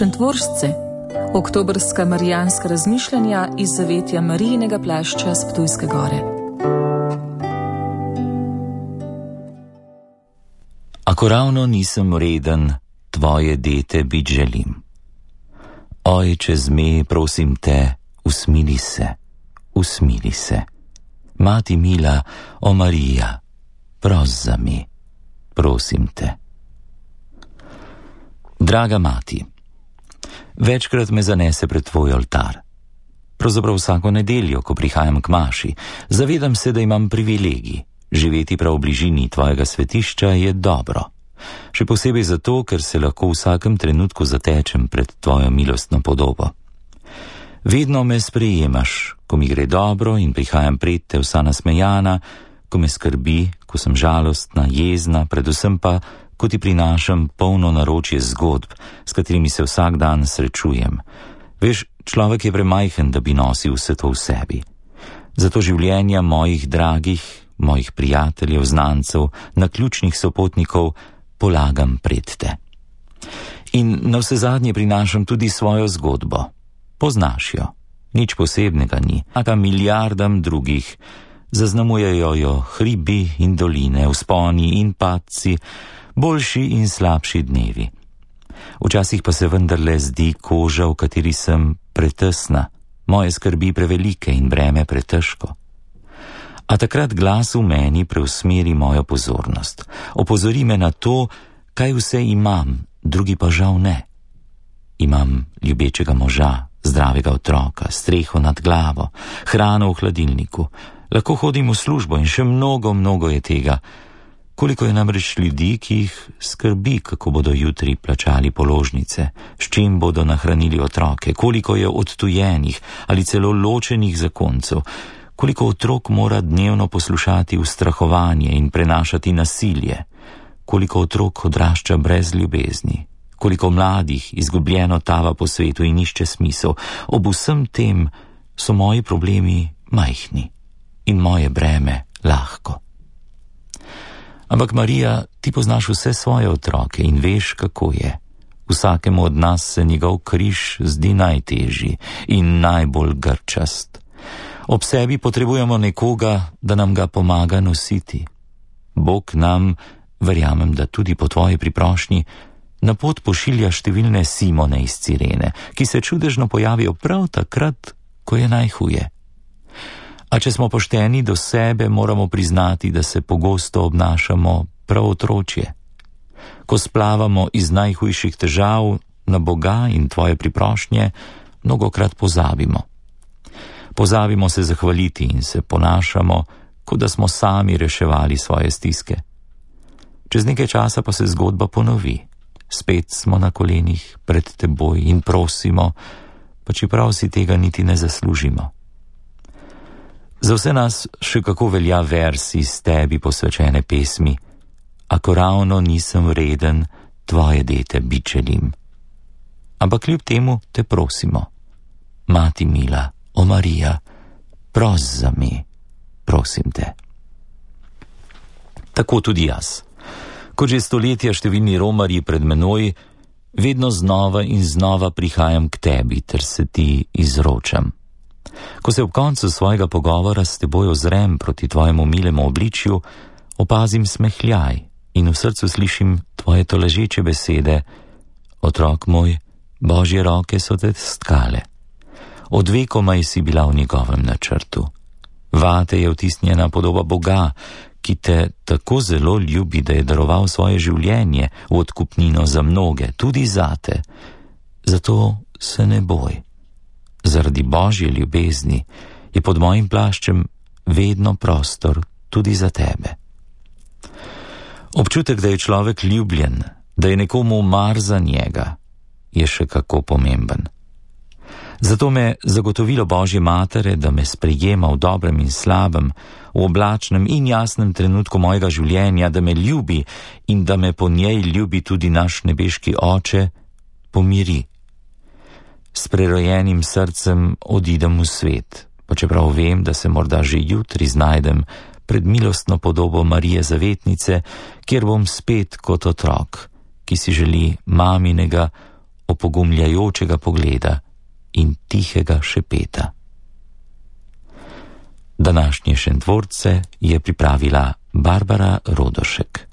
Šentvoržce, oktobrska marijanska razmišljanja iz zavetja Marijinega plašča s Ptujske gore. Ako ravno nisem vreden, tvoje dete bit želim. Ojče zme, prosim te, usmili se, usmili se. Mati mila, o Marija, pros za me, prosim te. Draga mati, večkrat me zanese pred tvoj oltar. Pravzaprav vsako nedeljo, ko prihajam k maši, zavedam se, da imam privilegij. Živeti prav v bližini tvojega svetišča je dobro. Še posebej zato, ker se lahko v vsakem trenutku zatečem pred tvojo milostno podobo. Vedno me sprejemaš, ko mi gre dobro in prihajam pred te vsa nasmejana, ko me skrbi, ko sem žalostna, jezna, predvsem pa, ko ti prinašam polno naročje zgodb, s katerimi se vsak dan srečujem. Veš, človek je premajhen, da bi nosil vse to v sebi. Zato življenja mojih dragih, mojih prijateljev, znancev, naključnih sopotnikov polagam pred te. In navsezadnje prinašam tudi svojo zgodbo. Poznaš jo, nič posebnega ni, a milijardam drugih. Zaznamujejo jo hribi in doline, vzponi in padci, boljši in slabši dnevi. Včasih pa se vendarle zdi koža, v kateri sem, pretesna, moje skrbi prevelike in breme pretežko. A takrat glas v meni preusmeri mojo pozornost. Opozori me na to, kaj vse imam, drugi pa žal ne. Imam ljubečega moža, zdravega otroka, streho nad glavo, hrano v hladilniku. Lahko hodim v službo in še mnogo je tega. Koliko je namreč ljudi, ki jih skrbi, kako bodo jutri plačali položnice, s čim bodo nahranili otroke, koliko je odtujenih ali celo ločenih zakoncev, koliko otrok mora dnevno poslušati ustrahovanje in prenašati nasilje, koliko otrok odrašča brez ljubezni, koliko mladih izgubljeno tava po svetu in išče smisel. Ob vsem tem so moji problemi majhni in moje breme lahko. Ampak Marija, ti poznaš vse svoje otroke in veš, kako je. Vsakemu od nas se njegov križ zdi najtežji in najbolj grčast. Ob sebi potrebujemo nekoga, da nam ga pomaga nositi. Bog nam, verjamem, da tudi po tvoji priprošnji, na pot pošilja številne Simone iz Cirene, ki se čudežno pojavijo prav takrat, ko je najhuje. A če smo pošteni do sebe, moramo priznati, da se pogosto obnašamo prav otročje. Ko splavamo iz najhujših težav na Boga in tvoje priprošnje, mnogokrat pozabimo. Pozabimo se zahvaliti in se ponašamo, kot da smo sami reševali svoje stiske. Čez nekaj časa pa se zgodba ponovi. Spet smo na kolenih pred teboj in prosimo, pa čeprav si tega niti ne zaslužimo. Za vse nas še kako velja vers iz tebi posvečene pesmi: Ako ravno nisem vreden, tvoje dete bit želim. Ampak kljub temu te prosimo, Mati mila, o Marija, pros za me, prosim te. Tako tudi jaz. Kot že stoletja številni romarji pred menoj, vedno znova in znova prihajam k tebi, ter se ti izročam. Ko se ob koncu svojega pogovora s teboj ozrem proti tvojemu milemu obličju, opazim smehljaj in v srcu slišim tvoje tolažeče besede: Otrok moj, Božje roke so te stkale. Od vekomaj si bila v njegovem načrtu. Vate je vtisnjena podoba Boga, ki te tako zelo ljubi, da je daroval svoje življenje v odkupnino za mnoge, tudi zate. Zato se ne boj. Zaradi Božje ljubezni je pod mojim plaščem vedno prostor tudi za tebe. Občutek, da je človek ljubljen, da je nekomu mar za njega, je še kako pomemben. Zato me zagotovilo Božje Matere, da me sprejema v dobrem in slabem, v oblačnem in jasnem trenutku mojega življenja, da me ljubi in da me po njej ljubi tudi naš nebeški Oče, pomiri. S prerojenim srcem odidem v svet, pa čeprav vem, da se morda že jutri znajdem pred milostno podobo Marije Zavetnice, kjer bom spet kot otrok, ki si želi maminega opogumljajočega pogleda in tihega šepeta. Današnje Šentvorce je pripravila Barbara Rodošek.